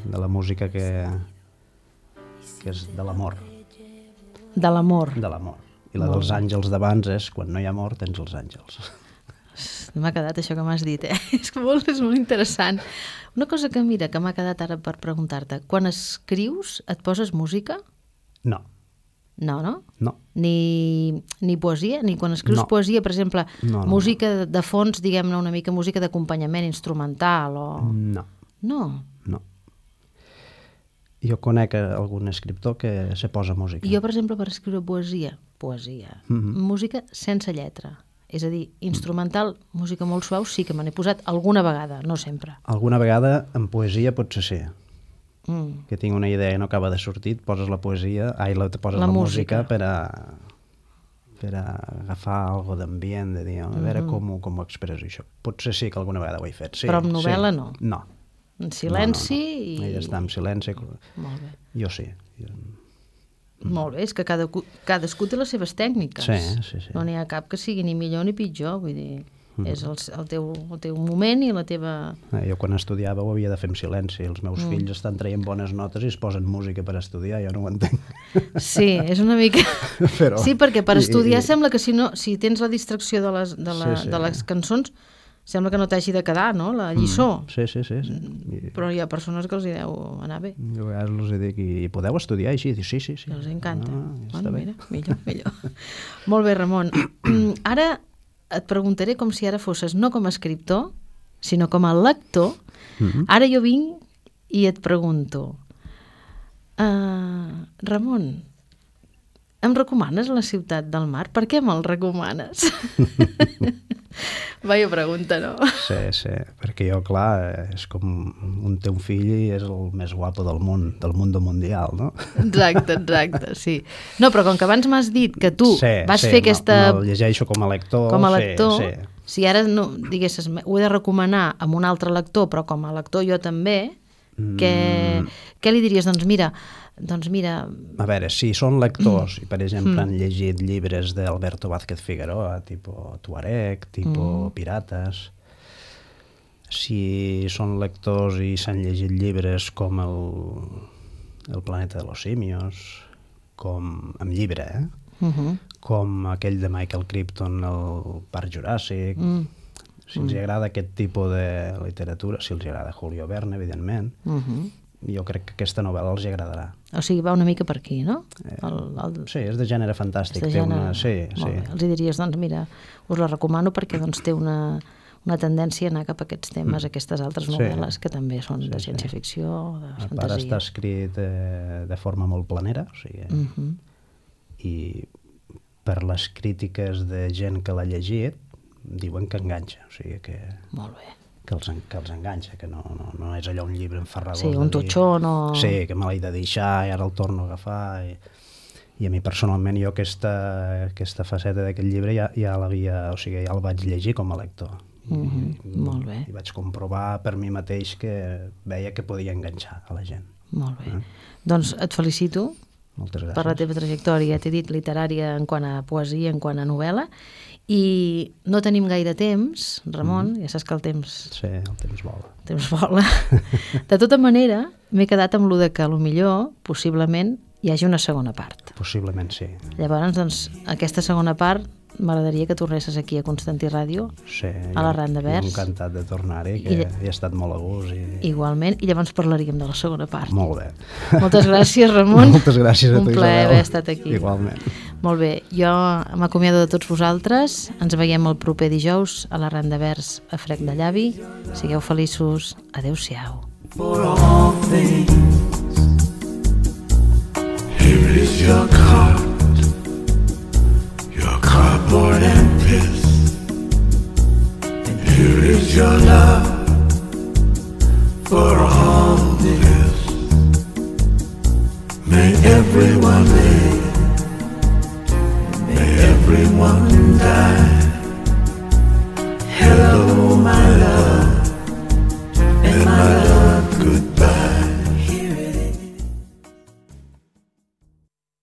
de la música que, que és de l'amor.
De l'amor.
De l'amor. I la
Molt
dels
bé.
àngels d'abans és quan no hi ha amor tens els àngels.
M'ha quedat això que m'has dit, eh? És molt, és molt interessant. Una cosa que, mira, que m'ha quedat ara per preguntar-te. Quan escrius, et poses música?
No,
No, no?
no.
Ni, ni poesia? Ni quan escrius
No.
poesia, per exemple,
No, no,
música de fons, diguem-ne una mica, música d'acompanyament instrumental o...
No,
No.
no. Jo conec algun escriptor que se posa música.
Jo, per exemple, per escriure poesia, poesia,
Mhm.
música sense lletra. És a dir, instrumental, música molt suau, sí que me n'he posat alguna vegada, no sempre.
Alguna vegada en poesia potser sí.
Mm.
Que tinc una idea i no acaba de sortir, et poses la poesia, ai, la, te poses
La
la,
música.
música per a, per a agafar algo d'ambient, de dir, a veure com, ho- com ho expresso això. Potser sí que alguna vegada ho he fet, sí.
Però amb novel·la
sí.
no?
No.
En silenci
no, no, no.
i...
He d'estar en silenci.
Molt bé.
Jo sí. Jo...
Molt bé, és que cada, cadascú té les seves tècniques.
Sí, sí, sí.
No n'hi ha cap que sigui ni millor ni pitjor, vull dir, és el, el, teu, el teu moment i la teva...
Eh, Jo quan estudiava ho havia de fer en silenci. Els meus mm. fills estan traient bones notes i es posen música per estudiar, jo no ho entenc.
Sí, és una mica...
Però...
Sí, perquè per
I-
estudiar
i-
sembla que si, no, si tens la distracció de les, de, la,
Sí, sí.
de les cançons, sembla que no t'hagi de quedar, no?, la lliçó.
Sí, sí, sí. sí. I...
Però hi ha persones que els hi deu anar bé.
Jo a vegades els dic, i podeu estudiar així? Dic, sí, sí, sí.
I els encanta.
Ah, ja
bueno,
està bé.
mira, millor, millor. Molt bé, Ramon. Ara et preguntaré com si ara fosses no com a escriptor, sinó com a lector.
Mhm.
Ara jo vinc i et pregunto, uh, Ramon, em recomanes la ciutat del mar? Per què me'l recomanes? Vaya pregunta, no?
Sí, sí, perquè jo, clar, és com un teu fill i és el més guapo del món, del mundo mundial, no?
Exacte, exacte, sí. No, però com que abans m'has dit que tu
sí,
vas
sí,
fer aquesta...
No, no, el llegeixo com a lector.
com a lector,
Sí, sí.
si ara no, diguessis, ho he de recomanar amb un altre lector, però com a lector jo també, què,
Mm.
què li diries? Doncs mira, doncs mira,
A veure, si són lectors i, per exemple,
Mm.
han llegit llibres d'Alberto Vázquez Figueroa, tipus Tuareg, tipus
Mm.
Pirates, si són lectors i s'han llegit llibres com el, el planeta de los simios, com amb llibre, eh?
uh -huh,
com aquell de Michael Crichton, el Parc Juràssic,
mm,
si els agrada aquest tipus de literatura, si els agrada Julio Verne, evidentment,
uh -huh.
jo crec que aquesta novel·la els agradarà.
O sigui, va una mica per aquí, no? El, el,
Sí, és de gènere
és
fantàstic.
de
té
gènere-
una... Sí,
Molt
sí.
bé. Els hi diries, doncs mira, us la recomano perquè doncs, té una, una tendència a anar cap a aquests temes,
Mm.
aquestes altres
Sí.
novel·les que també són
Sí,
de
sí.
ciència-ficció, de
A part
fantasia.
està escrit eh, de forma molt planera, o sigui,
Uh -huh.
i per les crítiques de gent que l'ha llegit, diuen que enganxa, o sigui que,
Molt bé.
que, els, en- que els enganxa, que no, no, no és allò un llibre enfarragós.
Sí,
de
un
dir,
totxó, no...
Sí, que me l'he de deixar i ara el torno a agafar. I, i a mi personalment jo aquesta, aquesta faceta d'aquest llibre ja, ja l'havia, o sigui, ja el vaig llegir com a lector.
Mhm,
I,
molt bé.
I vaig comprovar per mi mateix que veia que podia enganxar a la gent.
Molt bé.
Eh?
Doncs et felicito
Moltes gràcies.
per la teva trajectòria, t'he dit literària en quant a poesia, en quant a novel·la, i no tenim gaire temps, Ramon,
Mhm.
ja saps que el temps,
Sí, el temps vola.
el temps vola. De tota manera, m'he quedat amb lo de que potser, possiblement, hi hagi una segona part.
Possiblement sí.
Llavors, doncs, aquesta segona part m'agradaria que tornessis aquí a Constantí Ràdio,
sí
a la
jo-
Randa
jo
Vers.
encantat de tornar-hi, que
I-
he estat molt a gust. I...
igualment, i llavors parlaríem de la segona part.
Molt bé.
Moltes gràcies, Ramon.
Moltes gràcies a
Un
tu,
plaer
Isabel.
haver estat aquí.
Igualment.
Molt bé, jo m'acomiado de tots vosaltres. Ens veiem el proper dijous a la Randa Vers a Frec de Llavi. Sigueu feliços. Adéu-siau.
For all things, here is your card, your cardboard and piss, and here is your love for all this. May everyone live, may everyone die. Hello, my